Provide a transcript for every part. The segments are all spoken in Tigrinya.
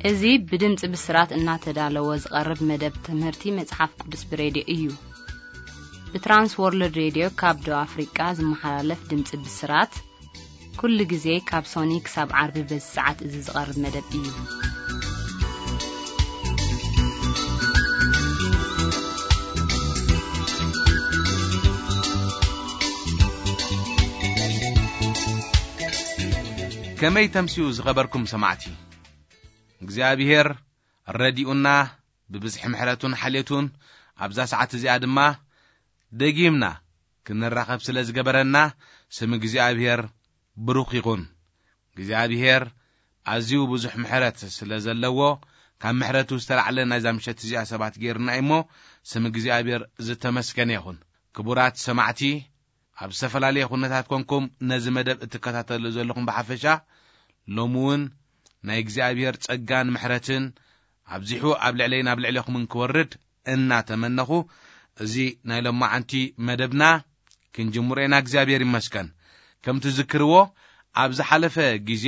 እዚ ብድምፂ ብስራት እናተዳለወ ዝቐርብ መደብ ትምህርቲ መጽሓፍ ቅዱስ ብሬድዮ እዩ። ብትራንስ ወርልድ ሬድዮ ካብ ደቡብ ኣፍሪቃ ዝመሓላለፍ ድምፂ ብስራት፣ ኩሉ ግዜ ካብ ሶኒ ክሳብ ዓርቢ በዚ ሰዓት እዚ ዝቐርብ መደብ እዩ። ከመይ ተምስዩ ዝኸበርኩም ሰማዕቲ? እግዚኣብሔር ረዲኡና፣ ብብዝሒ ምሕረቱን ሓልየቱን ኣብዛ ሰዓት እዚኣ ድማ ደጊምና ክንራኸብ ስለ ዝገበረና፣ ስም እግዚኣብሔር ብሩኽ ይኹን። እግዚኣብሔር ኣዝዩ ብዙሕ ምሕረት ስለ ዘለዎ፣ ካብ ምሕረቱ ዝተላዕለ ናይዛ ምሸት እዚኣ ሰባት ገይሩና እዩ እሞ፣ ስም እግዚኣብሔር ዝተመስገነ ይኹን። ክቡራት ሰማዕቲ፣ ኣብ ዝተፈላለየ ኩነታት ኮንኩም ነዚ መደብ እትከታተሉ ዘለኹም ብሓፈሻ፣ ሎሚ እውን ናይ እግዚኣብሔር ጸጋን ምሕረትን ኣብዚሑ ኣብ ልዕለይን ኣብ ልዕሌኹምን ክወርድ እናተመነኹ፣ እዚ ናይ ሎማዓንቲ መደብና ክንጅምሮ ኢና። እግዚኣብሔር ይመስገን። ከም ትዝክርዎ፣ ኣብ ዝሓለፈ ግዜ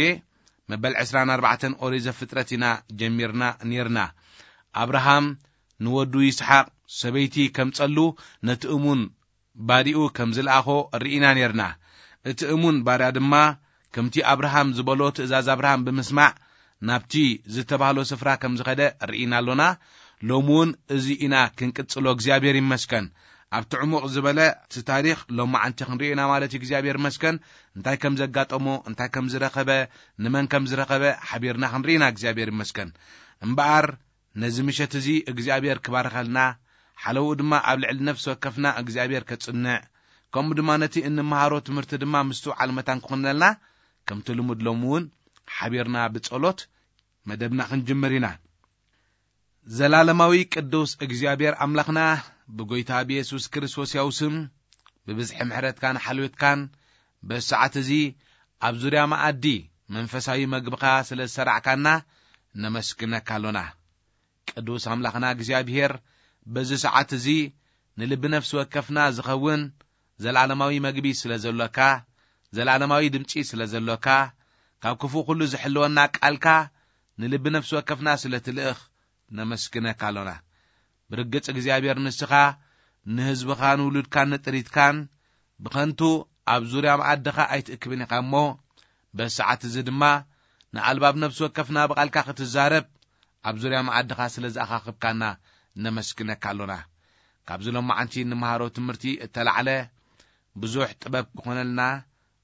መበል ዕስራን ኣርባዕተን ኦሪት ዘፍጥረት ኢና ጀሚርና ኔርና። ኣብርሃም ንወዱ ይስሓቅ ሰበይቲ ከምጸሉ ነቲ እሙን ባሪኡ ከም ዝለኣኾ ርኢና ኔርና። እቲ እሙን ባርያ ድማ ከምቲ ኣብርሃም ዝበሎ ትእዛዝ ኣብርሃም ብምስማዕ ናብቲ ዝተባህሎ ስፍራ ከም ዝኸደ ርኢና ኣሎና። ሎሚ እውን እዚ ኢና ክንቅጽሎ፣ እግዚኣብሔር ይመስገን። ኣብቲ ዕሙቕ ዝበለ እቲ ታሪኽ ሎማዓንቲ ክንሪኦ ኢና ማለት እዩ። እግዚኣብሔር ይመስገን። እንታይ ከም ዘጋጠሞ፣ እንታይ ከም ዝረኸበ፣ ንመን ከም ዝረኸበ ሓቢርና ክንርኢ ኢና። እግዚኣብሔር ይመስገን። እምበኣር ነዚ ምሸት እዚ እግዚኣብሔር ክባርኸልና፣ ሓለውኡ ድማ ኣብ ልዕሊ ነፍሲ ወከፍና እግዚኣብሔር ከጽንዕ፣ ከምኡ ድማ ነቲ እንመሃሮ ትምህርቲ ድማ ምስትውዓል መታን ክኾነልና፣ ከምቲ ልሙድ ሎሚ እውን ሓቢርና ብጸሎት መደብና ክንጅምር ኢና። ዘላለማዊ ቅዱስ እግዚኣብሔር ኣምላኽና፣ ብጎይታ ብየሱስ ክርስቶስ ያው ስም፣ ብብዝሒ ምሕረትካን ሓልዮትካን፣ በዚ ሰዓት እዚ ኣብ ዙርያ መኣዲ መንፈሳዊ መግብኻ ስለ ዝሰራዕካና ነመስግነካ ኣሎና። ቅዱስ ኣምላኽና እግዚኣብሔር፣ በዚ ሰዓት እዚ ንልቢ ነፍሲ ወከፍና ዝኸውን ዘላለማዊ መግቢ ስለ ዘሎካ፣ ዘላለማዊ ድምጺ ስለ ዘሎካ፣ ካብ ክፉእ ኩሉ ዝሕልወና ቃልካ ንልቢ ነፍሲ ወከፍና ስለ ትልእኽ ነመስግነካ ኣሎና። ብርግጽ እግዚኣብሔር ንስኻ ንህዝብኻን ውሉድካን ንጥሪትካን ብኸንቱ ኣብ ዙርያ መኣድኻ ኣይትእክብን ኢኻ እሞ፣ በዚ ሰዓት እዚ ድማ ንኣልባብ ነፍሲ ወከፍና ብቓልካ ክትዛረብ ኣብ ዙርያ መኣድኻ ስለ ዝኣኻኽብካና ነመስግነካ ኣሎና። ካብዚ ሎማዓንቲ እንመሃሮ ትምህርቲ እተላዕለ ብዙሕ ጥበብ ክኾነልና፣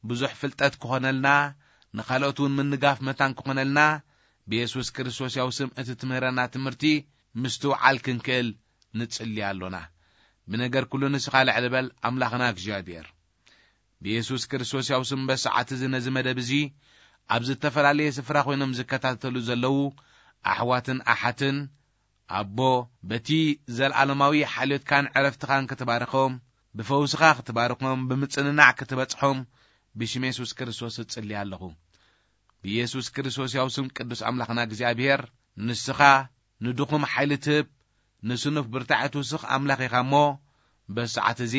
ብዙሕ ፍልጠት ክኾነልና፣ ንኻልኦት እውን ምንጋፍ መታን ክኾነልና፣ ብየሱስ ክርስቶስ ያው ስም እቲ ትምህረና ትምህርቲ ምስትውዓል ክንክእል ንጽሊ ኣሎና። ብነገር ኩሉ ንስኻ ልዕሊ በል ኣምላኽና እግዚኣብሔር። ብየሱስ ክርስቶስ ያው ስም በሰዓት እዚ ነዚ መደብ እዚ ኣብ ዝተፈላለየ ስፍራ ኮይኖም ዝከታተሉ ዘለዉ ኣሕዋትን ኣሓትን፣ ኣቦ፣ በቲ ዘልኣለማዊ ሓልዮትካን ዕረፍትኻን ክትባርኾም፣ ብፈውስኻ ክትባርኾም፣ ብምጽንናዕ ክትበጽሖም ብሽም የሱስ ክርስቶስ እጽሊ ኣለኹ። ብየሱስ ክርስቶስ ያው ስም ቅዱስ ኣምላኽና እግዚኣብሔር፣ ንስኻ ንድኹም ሓይሊ ትህብ፣ ንስኑፍ ብርታዐ ትውስኽ ኣምላኽ ኢኻ እሞ፣ በዚ ሰዓት እዚ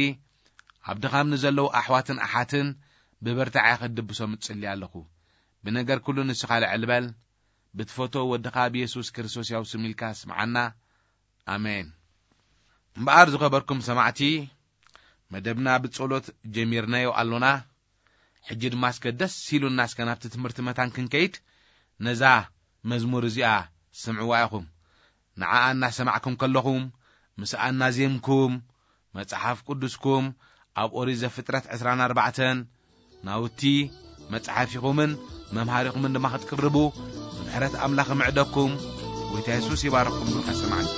ኣብ ድኻም ንዘለዉ ኣሕዋትን ኣሓትን ብብርታዐ ክትድብሶም እጽሊ ኣለኹ። ብነገር ኩሉ ንስኻ ልዕል በል። ብትፈትዎ ወድኻ ብየሱስ ክርስቶስ ያው ስም ኢልካ ስምዓና። ኣሜን። እምበኣር ዝኸበርኩም ሰማዕቲ፣ መደብና ብጸሎት ጀሚርናዮ ኣሎና። ሕጂ ድማ እስከ ደስ ኢሉና እስከ ናብቲ ትምህርቲ መታን ክንከይድ፣ ነዛ መዝሙር እዚኣ ስምዕዋ ኢኹም። ንዓኣ እናሰማዕኩም ከለኹም፣ ምስኣ እናዜምኩም፣ መጽሓፍ ቅዱስኩም ኣብ ኦሪት ዘፍጥረት ዕስራን ኣርባዕተን ናውቲ መጽሓፊኹምን መምሃሪኹምን ድማ ክትቅርቡ፣ ምሕረት ኣምላኽ ምዕደኩም። ጎይታ የሱስ ይባርኽኩም። ብልካ ሰማዕቲ።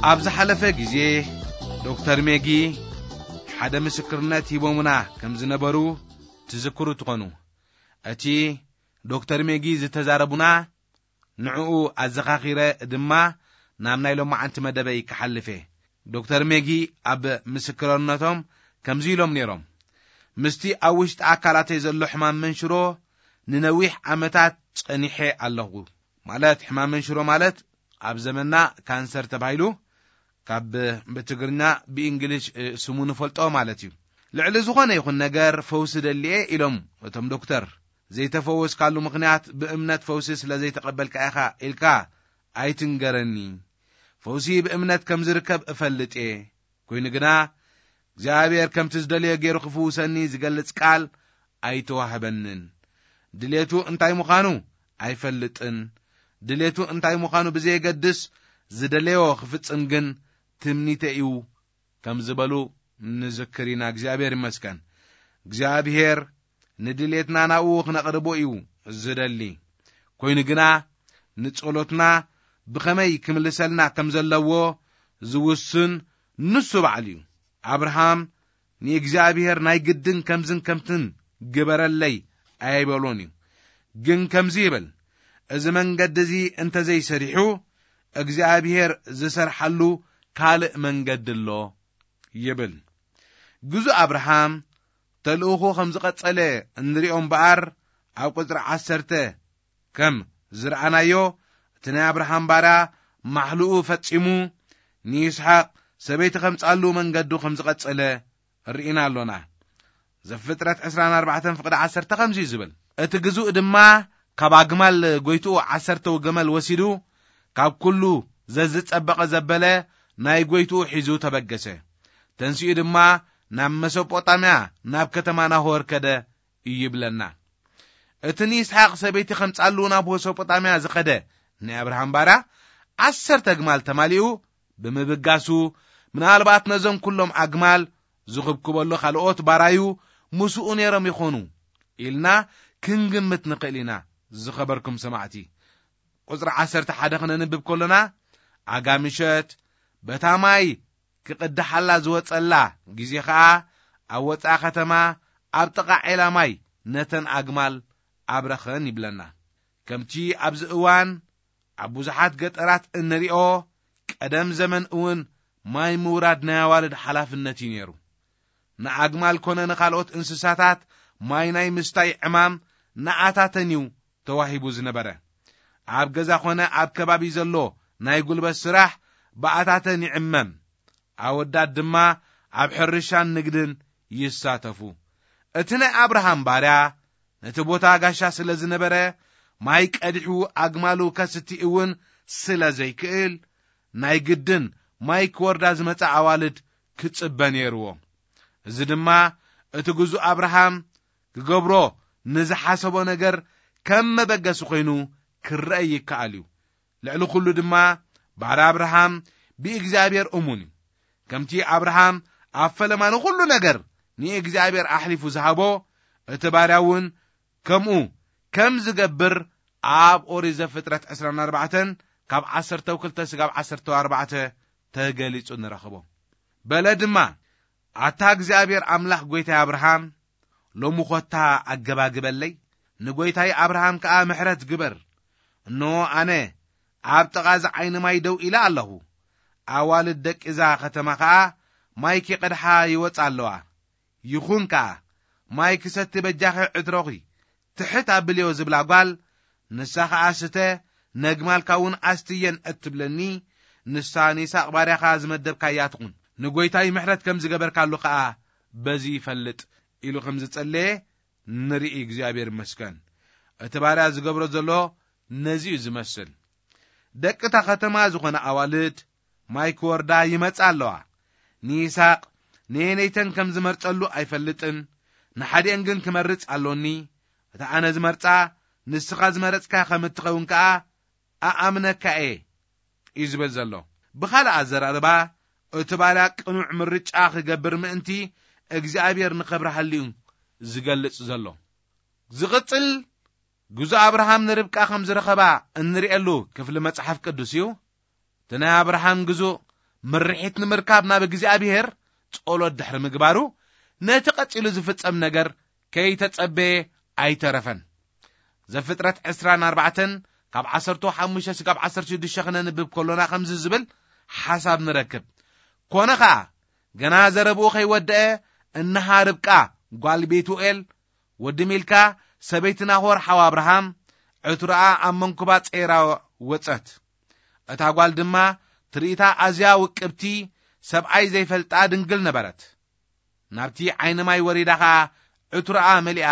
ኣብ ዝሓለፈ ግዜ ዶክተር ሜጊ ሓደ ምስክርነት ሂቦምና ከም ዝነበሩ ትዝክሩ ትኾኑ። እቲ ዶክተር ሜጊ ዝተዛረቡና ንዕኡ ኣዘኻኺረ ድማ ናብ ናይ ሎማዓንቲ መደበይ ክሓልፍ እየ። ዶክተር ሜጊ ኣብ ምስክርነቶም ከምዚ ኢሎም ነይሮም። ምስቲ ኣብ ውሽጢ ኣካላተይ ዘሎ ሕማም መንሽሮ ንነዊሕ ዓመታት ጸኒሐ ኣለኹ። ማለት ሕማም መንሽሮ ማለት ኣብ ዘመንና ካንሰር ተባሂሉ ካብ ብትግርኛ ብእንግሊሽ ስሙ ንፈልጦ ማለት እዩ። ልዕሊ ዝኾነ ይኹን ነገር ፈውሲ ደልየ ኢሎም እቶም ዶክተር። ዘይተፈወስካሉ ምኽንያት ብእምነት ፈውሲ ስለ ዘይተቐበልካ ኢኻ ኢልካ ኣይትንገረኒ። ፈውሲ ብእምነት ከም ዝርከብ እፈልጥ እየ። ኮይኑ ግና እግዚኣብሔር ከምቲ ዝደልዮ ገይሩ ክፍውሰኒ ዝገልጽ ቃል ኣይተዋህበንን። ድሌቱ እንታይ ምዃኑ ኣይፈልጥን። ድሌቱ እንታይ ምዃኑ ብዘየገድስ ዝደለዮ ክፍጽም ግን ትምኒተ እዩ ከም ዝበሉ ንዝክር ኢና። እግዚኣብሔር ይመስገን። እግዚኣብሔር ንድሌትና ናብኡ ክነቕርቦ እዩ ዝደሊ። ኮይኑ ግና ንጸሎትና ብኸመይ ክምልሰልና ከም ዘለዎ ዝውስን ንሱ ባዕሉ እዩ። ኣብርሃም ንእግዚኣብሔር ናይ ግድን ከምዝን ከምትን ግበረለይ ኣይበሎን እዩ። ግን ከምዚ ይብል፣ እዚ መንገዲ እዚ እንተዘይሰሪሑ እግዚኣብሔር ዝሰርሓሉ ካልእ መንገዲ ኣሎ ይብል። ግዙእ ኣብርሃም ተልእኾ ከም ዝቐጸለ እንሪኦ እምበኣር ኣብ ቁጽሪ ዓሰርተ ከም ዝረኣናዮ እቲ ናይ ኣብርሃም ባርያ ማሕልኡ ፈጺሙ ንይስሓቅ ሰበይቲ ከምጻሉ መንገዱ ከም ዝቐጸለ ርኢና ኣሎና። ዘፍጥረት ዕስራን ኣርባዕተን ፍቕዲ ዓሰርተ ከምዚ እዩ ዝብል፣ እቲ ግዙእ ድማ ካብ ኣግማል ጎይትኡ ዓሰርተ ገመል ወሲዱ ካብ ኩሉ ዘዝጸበቐ ዘበለ ናይ ጎይትኡ ሒዙ ተበገሰ። ተንሲኡ ድማ ናብ መሶጶጣምያ ናብ ከተማ ናሆር ከደ ይብለና። እቲ ንይስሓቅ ሰበይቲ ከምጻሉ ናብ መሶጶጣምያ ዝኸደ ናይ ኣብርሃም ባርያ ዓሰርተ ኣግማል ተማሊኡ ብምብጋሱ፣ ምናልባት ነዞም ኩሎም ኣግማል ዝኽብክበሉ ካልኦት ባራዩ ምስኡ ነይሮም ይኾኑ ኢልና ክንግምት ንኽእል ኢና። ዝኸበርኩም ሰማዕቲ፣ ቁጽሪ ዓሰርተ ሓደ ክነንብብ ከሎና፣ ኣጋ ምሸት በታ ማይ ክቕድሓላ ዝወጸላ ግዜ ኸኣ ኣብ ወጻኢ ከተማ ኣብ ጥቓ ዔላ ማይ ነተን ኣግማል ኣብረኸን ይብለና። ከምቲ ኣብዚ እዋን ኣብ ብዙሓት ገጠራት እንሪኦ፣ ቀደም ዘመን እውን ማይ ምውራድ ናይ ኣዋልድ ሓላፍነት እዩ ነይሩ። ንኣግማል ኮነ ንኻልኦት እንስሳታት ማይ ናይ ምስታይ ዕማም ንኣታተን እዩ ተዋሂቡ ዝነበረ። ኣብ ገዛ ኮነ ኣብ ከባቢ ዘሎ ናይ ጉልበት ስራሕ ብኣታተን ይዕመም። ኣወዳት ድማ ኣብ ሕርሻን ንግድን ይሳተፉ። እቲ ናይ ኣብርሃም ባርያ ነቲ ቦታ ጋሻ ስለ ዝነበረ፣ ማይ ቀዲሑ ኣግማሉ ከስቲ እውን ስለ ዘይክእል፣ ናይ ግድን ማይ ክወርዳ ዝመጻ ኣዋልድ ክጽበ ነይርዎ። እዚ ድማ እቲ ግዙእ ኣብርሃም ክገብሮ ንዝሓሰቦ ነገር ከም መበገሲ ኮይኑ ክረአ ይከኣል እዩ። ልዕሊ ኩሉ ድማ ባርያ ኣብርሃም ብእግዚኣብሔር እሙን እዩ። ከምቲ ኣብርሃም ኣብ ፈለማ ንኹሉ ነገር ንእግዚኣብሔር ኣሕሊፉ ዝሃቦ፣ እቲ ባርያ እውን ከምኡ ከም ዝገብር ኣብ ኦሪት ዘፍጥረት ዕስራን ኣርባዕተን ካብ ዓሰርተ ክልተ ስጋብ ዓሰርተ ኣርባዕተ ተገሊጹ ንረኽቦ። በለ ድማ፣ ኣታ እግዚኣብሔር ኣምላኽ ጐይታይ ኣብርሃም፣ ሎሚ ኾታ ኣገባግበለይ፣ ንጐይታይ ኣብርሃም ከኣ ምሕረት ግበር። እንሆ ኣነ ኣብ ጥቓ እዚ ዓይኒ ማይ ደው ኢለ ኣለኹ። ኣዋልድ ደቂ እዛ ኸተማ ኸኣ ማይ ኪቐድሓ ይወጻ ኣለዋ። ይኹን ከኣ፣ ማይ ክሰቲ በጃኺ ዕትሮኺ ትሕት ኣብልዮ ዝብላ ጓል፣ ንሳ ኸኣ ስተ፣ ነግማልካ እውን ኣስትየን እትብለኒ፣ ንሳ ንይስሐቅ ባርያኻ ዝመደብካያ ትኹን። ንጐይታይ ምሕረት ከም ዝገበርካሉ ኸኣ በዚ ይፈልጥ ኢሉ ከም ዝጸለየ ንርኢ። እግዚኣብሔር ይመስገን። እቲ ባርያ ዝገብሮ ዘሎ ነዚ እዩ ዝመስል። ደቂ እታ ኸተማ ዝኾነ ኣዋልድ ማይ ክወርዳ ይመጻ ኣለዋ። ንይስሐቅ ነየነይተን ከም ዝመርጸሉ ኣይፈልጥን። ንሓዲአን ግን ክመርጽ ኣሎኒ። እታ ኣነ ዝመርጻ ንስኻ ዝመረጽካ ከም እትኸውን ከኣ ኣኣምነካ እየ እዩ ዝብል ዘሎ። ብኻልእ ኣዘራርባ፣ እቲ ባርያ ቅኑዕ ምርጫ ክገብር ምእንቲ እግዚኣብሔር ንኸብርሃሉ እዩ ዝገልጽ ዘሎ። ዝቕጽል፣ ግዙእ ኣብርሃም ንርብቃ ከም ዝረኸባ እንርእየሉ ክፍሊ መጽሓፍ ቅዱስ እዩ። እቲ ናይ ኣብርሃም ግዙእ ምርሒት ንምርካብ ናብ እግዚኣብሔር ጸሎት ድሕሪ ምግባሩ፣ ነቲ ቀጺሉ ዝፍጸም ነገር ከይተጸበየ ኣይተረፈን። ዘፍጥረት ዕስራን ኣርባዕተን ካብ ዓሰርተ ሓሙሽተ ስጋብ ዓሰርተ ሽዱሽተ ክነንብብ ከሎና ከምዚ ዝብል ሓሳብ ንረክብ። ኮነ ኸኣ፣ ገና ዘረብኡ ከይወደአ፣ እንሃ ርብቃ ጓል ቤቱኤል፣ ወዲ ሚልካ፣ ሰበይቲ ናሆር ሓው ኣብርሃም፣ ዕትሮኣ ኣብ መንኩባ ጸይራ ወጸት። እታ ጓል ድማ ትርኢታ ኣዝያ ውቅብቲ፣ ሰብኣይ ዘይፈልጣ ድንግል ነበረት። ናብቲ ዓይኒ ማይ ወሪዳ ኸኣ ዕትሮኣ መሊኣ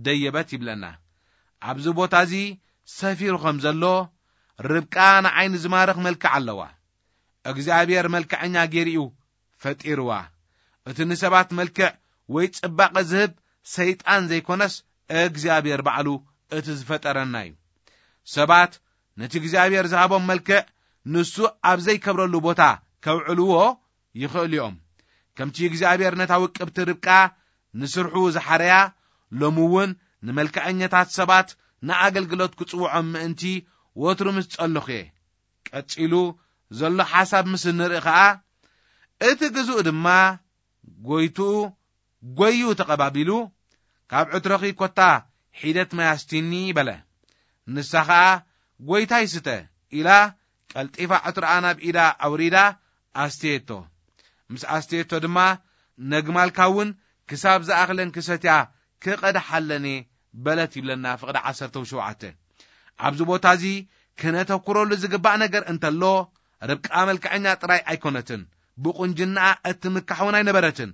ደየበት ይብለና። ኣብዚ ቦታ እዚ ሰፊሩ ከም ዘሎ፣ ርብቃ ንዓይኒ ዝማርኽ መልክዕ ኣለዋ። እግዚኣብሔር መልክዐኛ ገይሩ እዩ ፈጢርዋ። እቲ ንሰባት መልክዕ ወይ ጽባቐ ዝህብ ሰይጣን ዘይኮነስ እግዚኣብሔር ባዕሉ እቲ ዝፈጠረና እዩ። ሰባት ነቲ እግዚኣብሔር ዝሃቦም መልክዕ ንሱ ኣብ ዘይከብረሉ ቦታ ከውዕልዎ ይኽእሉ እዮም። ከምቲ እግዚኣብሔር ነታ ውቅብቲ ርብቃ ንስርሑ ዝሓረያ፣ ሎሚ እውን ንመልክዐኛታት ሰባት ንኣገልግሎት ክጽውዖም ምእንቲ ወትሩ ምስ ጸለኹ እየ። ቀጺሉ ዘሎ ሓሳብ ምስ እንርኢ ኸኣ፣ እቲ ግዙእ ድማ ጎይትኡ ጎዩ ተቐባቢሉ፣ "ካብ ዕትሮኺ ኮታ ሒደት ማይ ኣስቲኒ" በለ። ንሳ ኸኣ፣ "ጎይታይ ስተ" ኢላ፣ ቀልጢፋ ዕትሮኣ ናብ ኢዳ ኣውሪዳ ኣስተየቶ። ምስ ኣስተየቶ ድማ፣ "ነግማልካ እውን ክሳብ ዝኣኽለን ክሰትያ ክቐድሓለን እየ" በለት ይብለና ፍቕዲ ዓሰርተ ሸውዓተ። ኣብዚ ቦታ እዚ ክነተኩረሉ ዝግባእ ነገር እንተሎ፣ ርብቃ መልክዐኛ ጥራይ ኣይኮነትን፣ ብቁንጅናኣ እትምካሕ እውን ኣይነበረትን።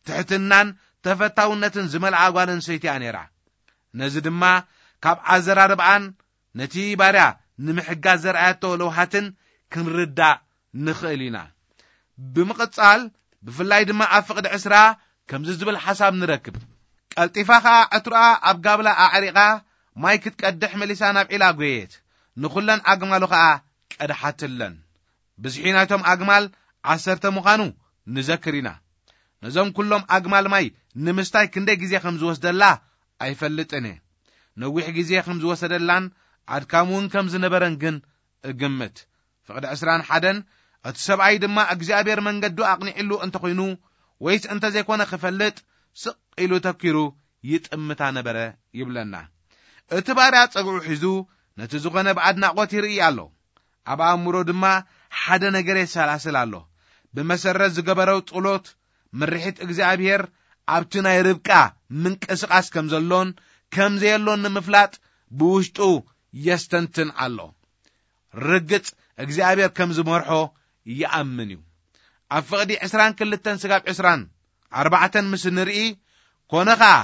ትሕትናን ተፈታውነትን ዝመልኣ ጓል ኣንስተይቲ እያ ነይራ። ነዚ ድማ ካብ ኣዘራርባኣን ነቲ ባርያ ንምሕጋዝ ዘርኣያቶ ለውሃትን ክንርዳእ ንኽእል ኢና። ብምቕጻል፣ ብፍላይ ድማ ኣብ ፍቕዲ ዕስራ ከምዚ ዝብል ሓሳብ ንረክብ። ቀልጢፋ ኸኣ ዕትሮኣ ኣብ ጋብላ ኣዕሪቓ፣ ማይ ክትቀድሕ መሊሳ ናብ ዒላ ጐየየት። ንኹለን ኣግማሉ ኸኣ ቀድሓትለን። ብዝሒ ናይቶም ኣግማል ዓሰርተ ምዃኑ ንዘክር ኢና። ነዞም ኩሎም ኣግማል ማይ ንምስታይ ክንደይ ግዜ ከም ዝወስደላ ኣይፈልጥን እየ። ነዊሕ ግዜ ከም ዝወሰደላን ኣድካሚ እውን ከም ዝነበረን ግን እግምት። ፍቕዲ ዕስራን ሓደን፣ እቲ ሰብኣይ ድማ እግዚኣብሔር መንገዱ ኣቕኒዕሉ እንተኾይኑ፣ ወይስ እንተዘይኮነ ክፈልጥ፣ ስቕ ኢሉ ተኪሩ ይጥምታ ነበረ ይብለና። እቲ ባርያ ጸግዑ ሒዙ ነቲ ዝኾነ ብኣድናቖት ይርኢ ኣሎ። ኣብ ኣእምሮ ድማ ሓደ ነገር የሰላስል ኣሎ። ብመሰረት ዝገበረው ጸሎት፣ ምርሒት እግዚኣብሔር ኣብቲ ናይ ርብቃ ምንቅስቓስ ከም ዘሎን ከም ዘየሎን ንምፍላጥ ብውሽጡ የስተንትን ኣሎ። ርግጽ እግዚኣብሔር ከም ዝመርሖ ይኣምን እዩ። ኣብ ፍቕዲ ዕስራን ክልተን ስጋብ ዕስራን ኣርባዕተን ምስ ንርኢ፣ ኮነ ኸኣ፣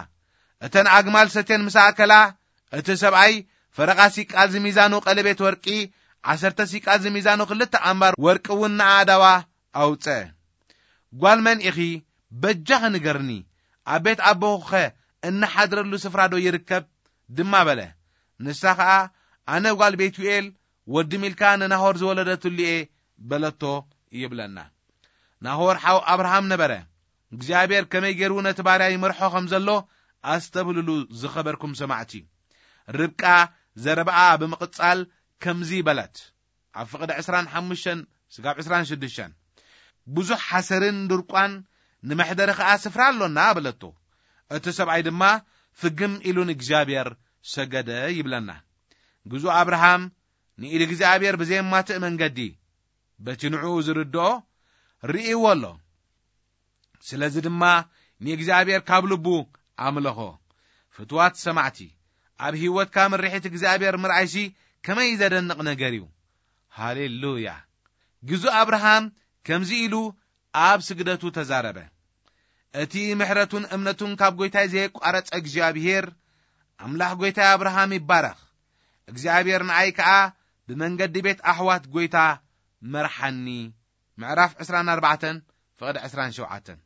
እተን ኣግማል ሰቴን ምስ ኣከላ፣ እቲ ሰብኣይ ፈረቓ ሲቃል ዝሚዛኑ ቀለቤት ወርቂ፣ ዓሰርተ ሲቃል ዝሚዛኑ ክልተ ኣምባር ወርቂ እውን ንኣእዳዋ ኣውጸ። "ጓል መን ኢኺ? በጃኺ ንገርኒ። ኣብ ቤት ኣቦኺኸ እንሓድረሉ ስፍራ ዶ ይርከብ?" ድማ በለ። ንሳ ኸኣ፣ "ኣነ ጓል ቤቱኤል፣ ወዲ ሚልካ ንናሆር ዝወለደትሉ እየ" በለቶ ይብለና። ናሆር ሓው ኣብርሃም ነበረ። እግዚኣብሔር ከመይ ገይሩ ነቲ ባርያ ይመርሖ ከም ዘሎ ኣስተብህልሉ፣ ዝኸበርኩም ሰማዕቲ። ርብቃ ዘረባኣ ብምቕጻል ከምዚ በለት፣ ኣብ ፍቕዲ ዕስራን ሓሙሽተን ስጋብ ዕስራን ሽዱሽተን፣ "ብዙሕ ሓሰርን ድርቋን፣ ንመሕደሪ ኸኣ ስፍራ ኣሎና" በለቶ። እቲ ሰብኣይ ድማ ፍግም ኢሉ ንእግዚኣብሔር ሰገደ ይብለና። ግዙእ ኣብርሃም ንኢድ እግዚኣብሔር ብዘየማትእ መንገዲ፣ በቲ ንዕኡ ዝርድኦ፣ ርእይዎ ኣሎ። ስለዚ ድማ ንእግዚኣብሔር ካብ ልቡ ኣምለኾ። ፍትዋት ሰማዕቲ፣ ኣብ ህይወትካ ምርሒት እግዚኣብሔር ምርኣይሲ ከመይ ዘደንቕ ነገር እዩ! ሃሌሉያ! ግዙእ ኣብርሃም ከምዚ ኢሉ ኣብ ስግደቱ ተዛረበ፣ "እቲ ምሕረቱን እምነቱን ካብ ጐይታይ ዘየቋረጸ እግዚኣብሔር፣ ኣምላኽ ጐይታይ ኣብርሃም ይባረኽ። እግዚኣብሔር ንኣይ ከኣ ብመንገዲ ቤት ኣሕዋት ጐይታ መርሓኒ።" ምዕራፍ ዕስራን ኣርባዕተን፣ ፍቕዲ ዕስራን ሸውዓተን።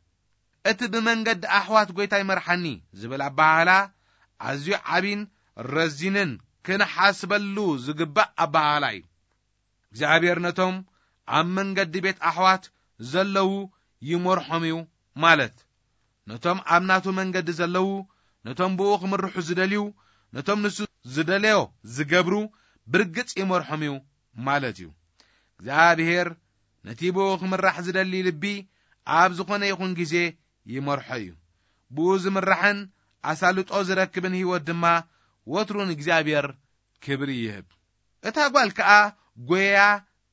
እቲ "ብመንገዲ ኣሕዋት ጐይታይ መርሓኒ" ዝብል ኣበሃህላ ኣዝዩ ዓቢን ረዚንን ክንሓስበሉ ዝግባእ ኣበሃህላ እዩ። እግዚኣብሔር ነቶም ኣብ መንገዲ ቤት ኣሕዋት ዘለዉ ይመርሖም እዩ ማለት፣ ነቶም ኣብ ናቱ መንገዲ ዘለዉ፣ ነቶም ብኡ ክምርሑ ዝደልዩ፣ ነቶም ንሱ ዝደለዮ ዝገብሩ ብርግጽ ይመርሖም እዩ ማለት እዩ። እግዚኣብሔር ነቲ ብኡ ክምራሕ ዝደሊ ልቢ ኣብ ዝኾነ ይኹን ግዜ ይመርሖ እዩ። ብኡ ዝምራሕን ኣሳልጦ ዝረክብን ህይወት ድማ ወትሩ ንእግዚኣብሔር ክብሪ ይህብ። እታ ጓል ከኣ ጎየያ፣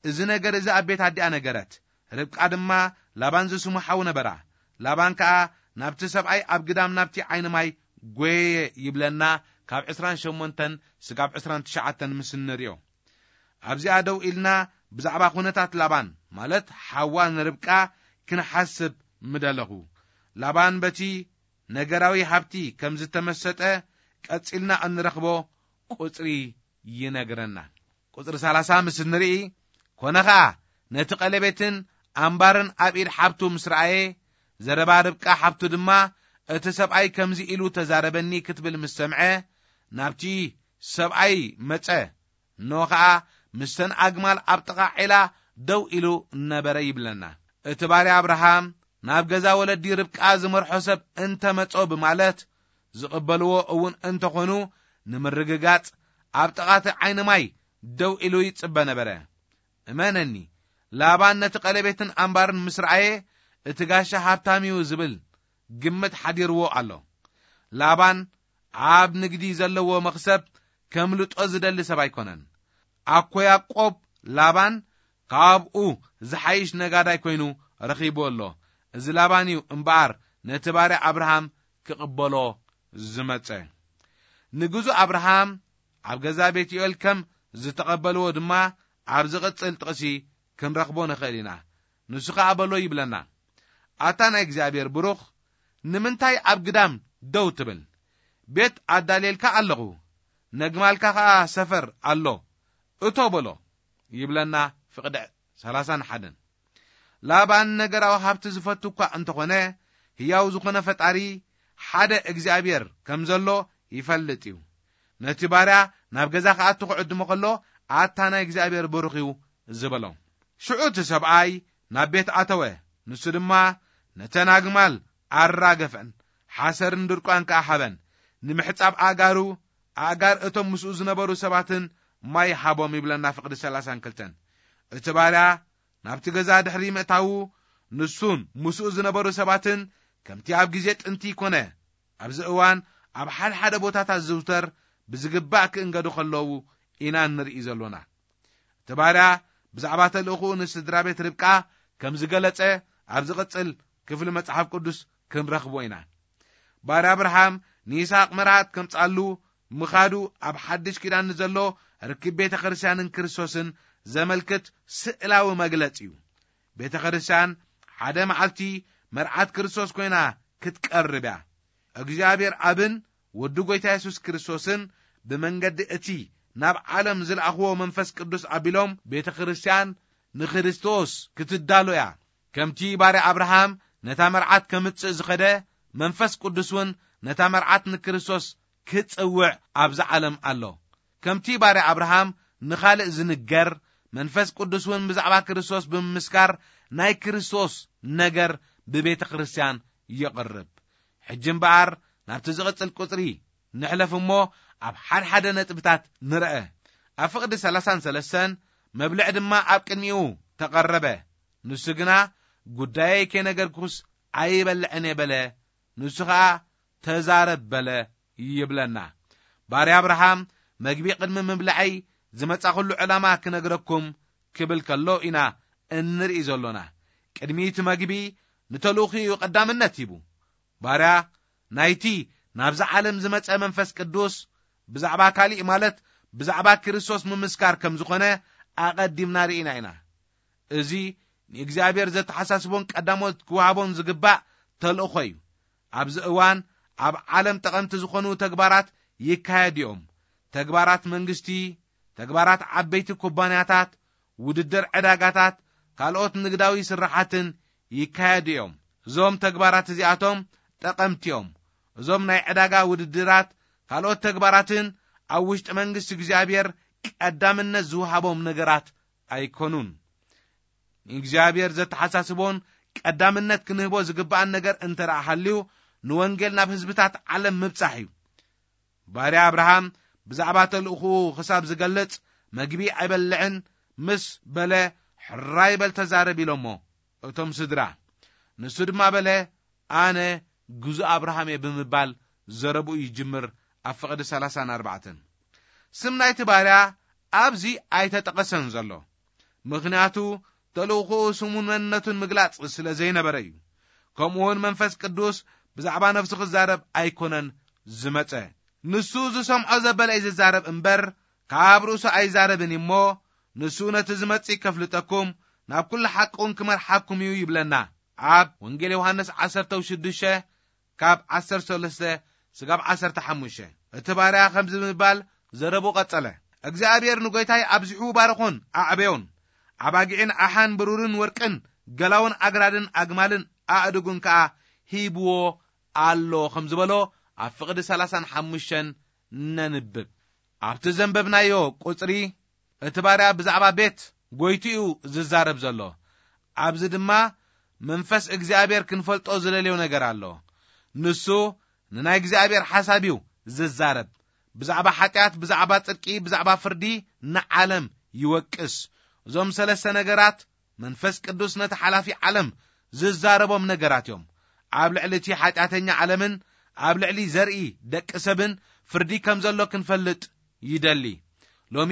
እዚ ነገር እዚ ኣብ ቤት ኣዲኣ ነገረት። ርብቃ ድማ ላባን ዝስሙ ሓው ነበራ። ላባን ከኣ ናብቲ ሰብኣይ ኣብ ግዳም ናብቲ ዓይኒ ማይ ጎየየ ይብለና፣ ካብ ዕስራን ሸሞንተን ስጋብ ዕስራን ትሽዓተን ምስ እንርእዮ። ኣብዚኣ ደው ኢልና ብዛዕባ ኩነታት ላባን፣ ማለት ሓዋ ንርብቃ፣ ክንሓስብ ምደለኹ። ላባን በቲ ነገራዊ ሃብቲ ከም ዝተመሰጠ ቀጺልና እንረኽቦ ቁጽሪ ይነግረና። ቁጽሪ ሰላሳ ምስ እንርኢ፣ ኮነ ኸኣ ነቲ ቀለቤትን ኣምባርን ኣብ ኢድ ሓብቱ ምስ ረኣየ፣ ዘረባ ርብቃ ሓብቱ ድማ እቲ ሰብኣይ ከምዚ ኢሉ ተዛረበኒ ክትብል ምስ ሰምዐ፣ ናብቲ ሰብኣይ መጸ። እነሆ ኸኣ ምስተን ኣግማል ኣብ ጥቓ ዒላ ደው ኢሉ ነበረ ይብለና። እቲ ባርያ ኣብርሃም ናብ ገዛ ወለዲ ርብቃ ዝመርሖ ሰብ እንተ መጾ ብማለት ዝቕበልዎ እውን እንተኾኑ፣ ንምርግጋጽ ኣብ ጥቓ እቲ ዓይኒ ማይ ደው ኢሉ ይጽበ ነበረ። እመነኒ፣ ላባን ነቲ ቀለቤትን ኣምባርን ምስ ረኣየ፣ እቲ ጋሻ ሃብታም እዩ ዝብል ግምት ሓዲርዎ ኣሎ። ላባን ኣብ ንግዲ ዘለዎ መኽሰብ ከምልጦ ዝደሊ ሰብ ኣይኮነን። ኣኮ ያዕቆብ ላባን ካብኡ ዝሓይሽ ነጋዳይ ኮይኑ ረኺቡ ኣሎ። እዚ ላባን እዩ እምበኣር ነቲ ባርያ ኣብርሃም ክቕበሎ ዝመጸ። ንግዙ ኣብርሃም ኣብ ገዛ ቤትኤል ከም ዝተቐበልዎ ድማ ኣብ ዝቕጽል ጥቕሲ ክንረኽቦ ንኽእል ኢና። ንሱ ኸኣ በሎ ይብለና፣ ኣታ ናይ እግዚኣብሔር ብሩኽ፣ ንምንታይ ኣብ ግዳም ደው ትብል? ቤት ኣዳልየልካ ኣለኹ፣ ነግማልካ ኸኣ ሰፈር ኣሎ፣ እቶ በሎ ይብለና ፍቕዲ ሰላሳን ሓደን። ላባን ነገራዊ ሃብቲ ዝፈቱ እኳ እንተኾነ፣ ህያው ዝኾነ ፈጣሪ ሓደ እግዚኣብሔር ከም ዘሎ ይፈልጥ እዩ። ነቲ ባርያ ናብ ገዛ ክኣቱ ክዕድሞ ከሎ፣ ኣታ ናይ እግዚኣብሔር ብሩኽ እዩ ዝበሎ። ሽዑ እቲ ሰብኣይ ናብ ቤት ኣተወ። ንሱ ድማ ነተን ኣግማል ኣራገፈን፣ ሓሰርን ድርቋን ከኣ ሃበን። ንምሕጻብ ኣእጋሩ፣ ኣእጋር እቶም ምስኡ ዝነበሩ ሰባትን ማይ ሃቦም ይብለና ፍቕዲ ሰላሳን ክልተን። እቲ ባርያ ናብቲ ገዛ ድሕሪ ምእታዉ፣ ንሱን ምስኡ ዝነበሩ ሰባትን ከምቲ ኣብ ግዜ ጥንቲ ይኮነ፣ ኣብዚ እዋን ኣብ ሓደ ሓደ ቦታታት ዝዝውተር ብዝግባእ ክእንገዱ ከለዉ ኢና እንርኢ ዘሎና። እቲ ባርያ ብዛዕባ ተልእኾኡ ንስድራ ቤት ርብቃ ከም ዝገለጸ ኣብ ዝቕጽል ክፍሊ መጽሓፍ ቅዱስ ክንረኽቦ ኢና። ባርያ ኣብርሃም ንይስሐቅ መርዓት ከምጽኣሉ ምኻዱ ኣብ ሓድሽ ኪዳን ንዘሎ ርክብ ቤተ ክርስቲያንን ክርስቶስን ዘመልክት ስእላዊ መግለጽ እዩ። ቤተ ክርስቲያን ሓደ መዓልቲ መርዓት ክርስቶስ ኮይና ክትቀርብ እያ። እግዚኣብሔር ኣብን ወዱ ጐይታ የሱስ ክርስቶስን ብመንገዲ እቲ ናብ ዓለም ዝለኣኽዎ መንፈስ ቅዱስ ኣቢሎም ቤተ ክርስቲያን ንክርስቶስ ክትዳሎ እያ። ከምቲ ባርያ ኣብርሃም ነታ መርዓት ከምጽእ ዝኸደ፣ መንፈስ ቅዱስ እውን ነታ መርዓት ንክርስቶስ ክጽውዕ ኣብዛ ዓለም ኣሎ። ከምቲ ባርያ ኣብርሃም ንኻልእ ዝንገር፣ መንፈስ ቅዱስ እውን ብዛዕባ ክርስቶስ ብምምስካር ናይ ክርስቶስ ነገር ብቤተ ክርስቲያን የቕርብ። ሕጂ እምበኣር ናብቲ ዝቕጽል ቁጽሪ ንሕለፍ እሞ ኣብ ሓድሓደ ነጥብታት ንርአ። ኣብ ፍቕዲ ሰላሳን ሰለስተን መብልዕ ድማ ኣብ ቅድሚኡ ተቐረበ። ንሱ ግና፣ "ጉዳየይ ከይነገርኩስ ኣይበልዕን እየ" በለ። ንሱ ኸኣ፣ "ተዛረብ" በለ ይብለና። ባርያ ኣብርሃም፣ "መግቢ ቅድሚ ምብላዐይ ዝመጻኹሉ ዕላማ ክነግረኩም" ክብል ከሎ ኢና እንርኢ ዘሎና። ቅድሚ እቲ መግቢ ንተልእኾኡ እዩ ቀዳምነት ሂቡ። ባርያ ናይቲ ናብዛ ዓለም ዝመጸ መንፈስ ቅዱስ ብዛዕባ ካሊእ፣ ማለት ብዛዕባ ክርስቶስ ምምስካር ከም ዝኾነ ኣቐዲምና ርኢና ኢና። እዚ ንእግዚኣብሔር ዘተሓሳስቦን ቀዳሞት ክወሃቦን ዝግባእ ተልእኾ እዩ። ኣብዚ እዋን ኣብ ዓለም ጠቐምቲ ዝኾኑ ተግባራት ይካየዱ እዮም። ተግባራት መንግስቲ፣ ተግባራት ዓበይቲ ኩባንያታት፣ ውድድር ዕዳጋታት፣ ካልኦት ንግዳዊ ስራሓትን ይካየዱ እዮም። እዞም ተግባራት እዚኣቶም ጠቐምቲ እዮም። እዞም ናይ ዕዳጋ ውድድራት፣ ካልኦት ተግባራትን ኣብ ውሽጢ መንግስቲ እግዚኣብሔር ቀዳምነት ዝወሃቦም ነገራት ኣይኮኑን። ንእግዚኣብሔር ዘተሓሳስቦን ቀዳምነት ክንህቦ ዝግባኣን ነገር እንተ ደኣ ሃልዩ፣ ንወንጌል ናብ ህዝብታት ዓለም ምብጻሕ እዩ። ባርያ ኣብርሃም ብዛዕባ ተልእኾኡ ክሳብ ዝገልጽ፣ "መግቢ ኣይበልዕን" ምስ በለ፣ ሕራይ በል ተዛረብ ኢሎሞ እቶም ስድራ። ንሱ ድማ በለ፣ ኣነ ግዙእ ኣብርሃም እየ ብምባል ዘረብኡ ይጅምር። ኣብ ፍቕዲ ሰላሳን ኣርባዕተን ስም ናይቲ ባርያ ኣብዚ ኣይተጠቐሰን ዘሎ፣ ምኽንያቱ ተልእኾኡ ስሙን መንነቱን ምግላጽ ስለ ዘይነበረ እዩ። ከምኡውን መንፈስ ቅዱስ ብዛዕባ ነፍሱ ክዛረብ ኣይኮነን ዝመጸ። ንሱ ዝሰምዖ ዘበለ እዩ ዝዛረብ እምበር፣ ካብ ርእሱ ኣይዛረብን እሞ፣ ንሱ ነቲ ዝመጽእ ከፍልጠኩም፣ ናብ ኩሉ ሓቂ እውን ክመርሓኩም እዩ ይብለና። ኣብ ወንጌል ዮሃንስ ዓሰርተ ሽዱሽተ ካብ ዓሰርተ ሰለስተ ስጋብ ዓሰርተ ሓሙሽተ። እቲ ባርያ ከምዚ ብምባል ዘረቡ ቀጸለ፣ እግዚኣብሔር ንጎይታይ ኣብዚሑ ባረኾን ኣዕበዮን፣ ኣባጊዕን ኣሓን ብሩርን ወርቅን ገላውን ኣግራድን ኣግማልን ኣእድጉን ከኣ ሂብዎ ኣሎ ከም ዝበሎ ኣብ ፍቕዲ ሰላሳን ሓሙሽተን ነንብብ። ኣብቲ ዘንበብናዮ ቁጽሪ እቲ ባርያ ብዛዕባ ቤት ጎይቱ እዩ ዝዛረብ ዘሎ። ኣብዚ ድማ መንፈስ እግዚኣብሔር ክንፈልጦ ዝደልዮ ነገር ኣሎ። ንሱ ንናይ እግዚኣብሔር ሓሳብ እዩ ዝዛረብ። ብዛዕባ ሓጢኣት፣ ብዛዕባ ጽድቂ፣ ብዛዕባ ፍርዲ ንዓለም ይወቅስ። እዞም ሰለስተ ነገራት መንፈስ ቅዱስ ነቲ ሓላፊ ዓለም ዝዛረቦም ነገራት እዮም። ኣብ ልዕሊ እቲ ሓጢኣተኛ ዓለምን ኣብ ልዕሊ ዘርኢ ደቂ ሰብን ፍርዲ ከም ዘሎ ክንፈልጥ ይደሊ። ሎሚ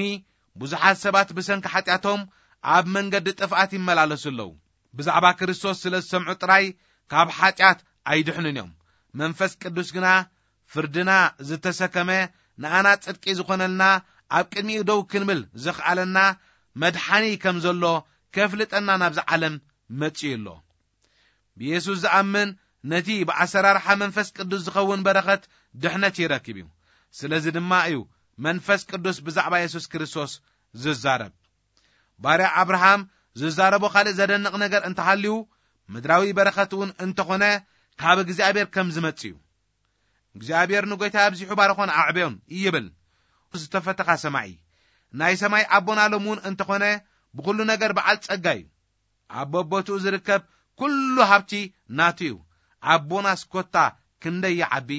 ብዙሓት ሰባት ብሰንኪ ሓጢኣቶም ኣብ መንገዲ ጥፍኣት ይመላለሱ ኣለዉ። ብዛዕባ ክርስቶስ ስለ ዝሰምዑ ጥራይ ካብ ሓጢኣት ኣይድሕኑን እዮም። መንፈስ ቅዱስ ግና ፍርድና ዝተሰከመ፣ ንኣና ጽድቂ ዝኾነልና፣ ኣብ ቅድሚኡ ደው ክንብል ዘኽኣለና መድሓኒ ከም ዘሎ ከፍልጠና ናብዚ ዓለም መጺኡ ኣሎ። ብየሱስ ዝኣምን ነቲ ብኣሰራርሓ መንፈስ ቅዱስ ዝኸውን በረኸት ድሕነት ይረክብ እዩ። ስለዚ ድማ እዩ መንፈስ ቅዱስ ብዛዕባ የሱስ ክርስቶስ ዝዛረብ። ባርያ ኣብርሃም ዝዛረቦ ካልእ ዘደንቕ ነገር እንተሃልዩ፣ ምድራዊ በረኸት እውን እንተኾነ ካብ እግዚኣብሔር ከም ዝመጽእ እዩ። እግዚኣብሔር ንጎይታ ኣብዚሑ ባረኾን ኣዕበዮን ይብል። ዝተፈተኻ ሰማዒ፣ ናይ ሰማይ ኣቦና ሎም እውን እንተኾነ ብኹሉ ነገር በዓል ጸጋ እዩ። ኣብ በቦትኡ ዝርከብ ኩሉ ሃብቲ ናቱ እዩ። ኣቦናስ ኮታ ክንደይ ይዓቢ!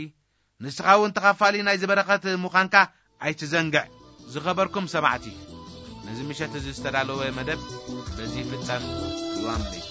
ንስኻ እውን ተኻፋሊ ናይዚ በረኸት ምዃንካ ኣይትዘንግዕ። ዝኸበርኩም ሰማዕቲ፣ ነዚ ምሸት እዚ ዝተዳለወ መደብ በዚ ይፍጸም። ይዋምለይ።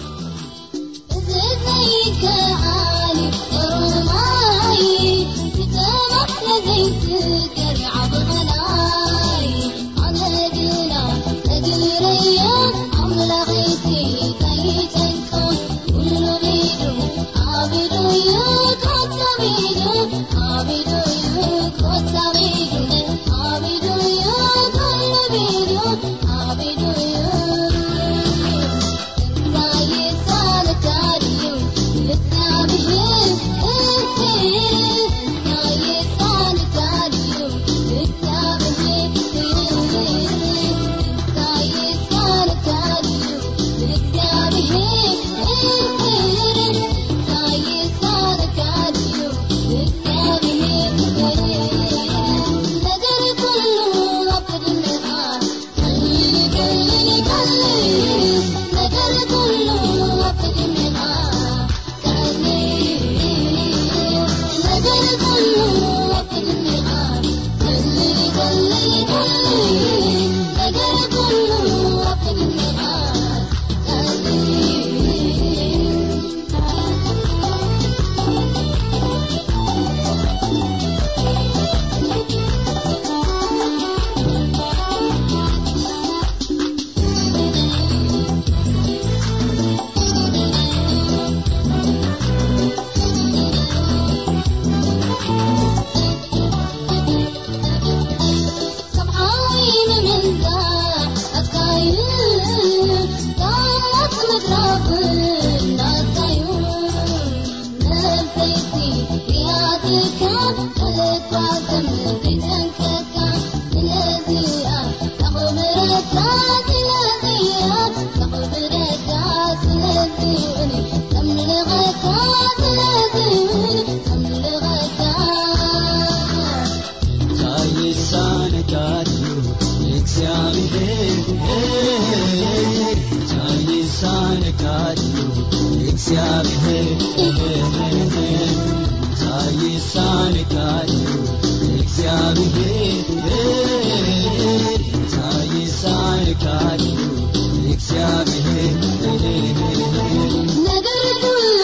ነገር ኩሉ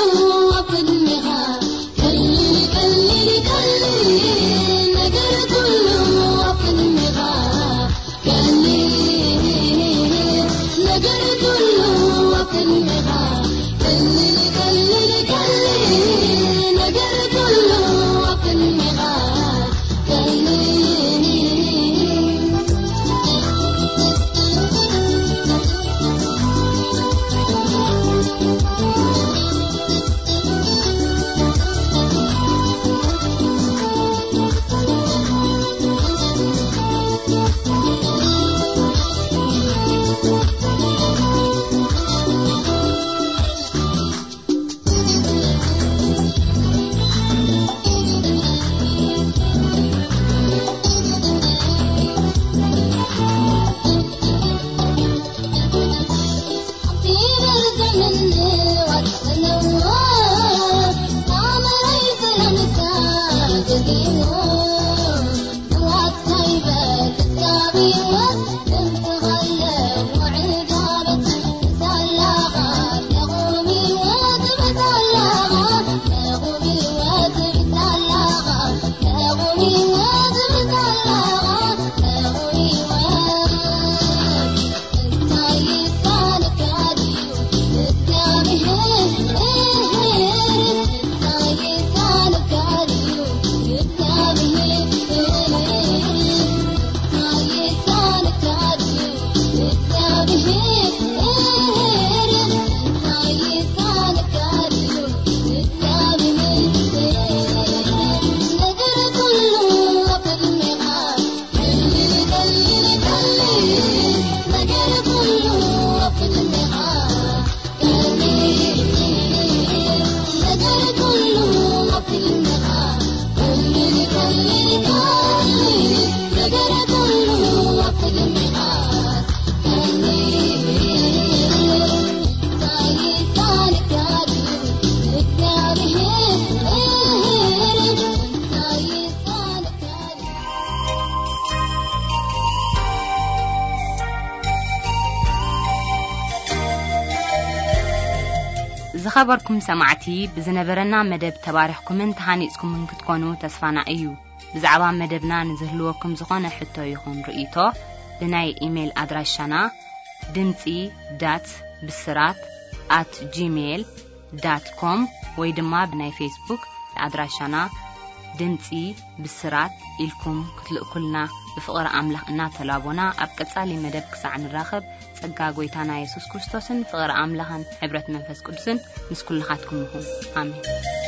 ኣብ ቅድሜኻ ቀሊል፣ ቀሊል፣ ቀሊል። ነገር ኩሉ ኣብ ቅድሜኻ ቀሊል፣ ነገር ኩሉ ኣብ ቅድሜኻ ቀሊል፣ ቀሊል፣ ቀሊል። ነገር ኩሉ ኣብ ቅድሜኻ ቀሊል። ዝኸበርኩም ሰማዕቲ፣ ብዝነበረና መደብ ተባሪኽኩምን ተሃኒጽኩምን ክትኮኑ ተስፋና እዩ። ብዛዕባ መደብና ንዝህልወኩም ዝኾነ ሕቶ ይኹን ርእይቶ፣ ብናይ ኢሜይል ኣድራሻና ድምጺ ዳት ብስራት ኣት ጂሜይል ዳት ኮም ወይ ድማ ብናይ ፌስቡክ ኣድራሻና ድምጺ ብስራት ኢልኩም ክትልእኩልና ብፍቕሪ ኣምላኽ እናተላቦና፣ ኣብ ቀጻሊ መደብ ክሳዕ ንራኸብ፣ ጸጋ ጐይታና የሱስ ክርስቶስን ፍቕሪ ኣምላኽን ሕብረት መንፈስ ቅዱስን ምስ ኩልኻትኩም ይኹን። ኣሜን።